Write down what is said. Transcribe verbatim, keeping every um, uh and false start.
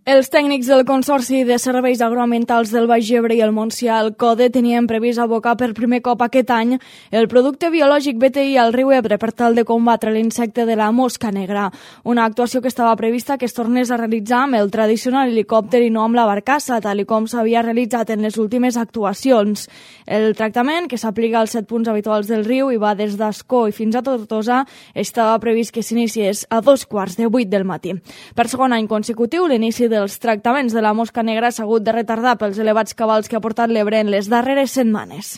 Els tècnics del Consorci de Serveis Agroambientals del Baix Ebre i el Montsià, el CODE, tenien previst abocar per primer cop aquest any el producte biològic B T I al riu Ebre per tal de combatre l'insecte de la mosca negra. Una actuació que estava prevista que es tornés a realitzar amb el tradicional helicòpter i no amb la barcassa, tal i com s'havia realitzat en les últimes actuacions. El tractament, que s'aplica als set punts habituals del riu i va des d'Ascó i fins a Tortosa, estava previst que s'iniciés a dos quarts de vuit del matí. Per segon any consecutiu, l'inici dels tractaments de la mosca negra s'ha hagut de retardar pels elevats cabals que ha portat l'Ebre en les darreres setmanes.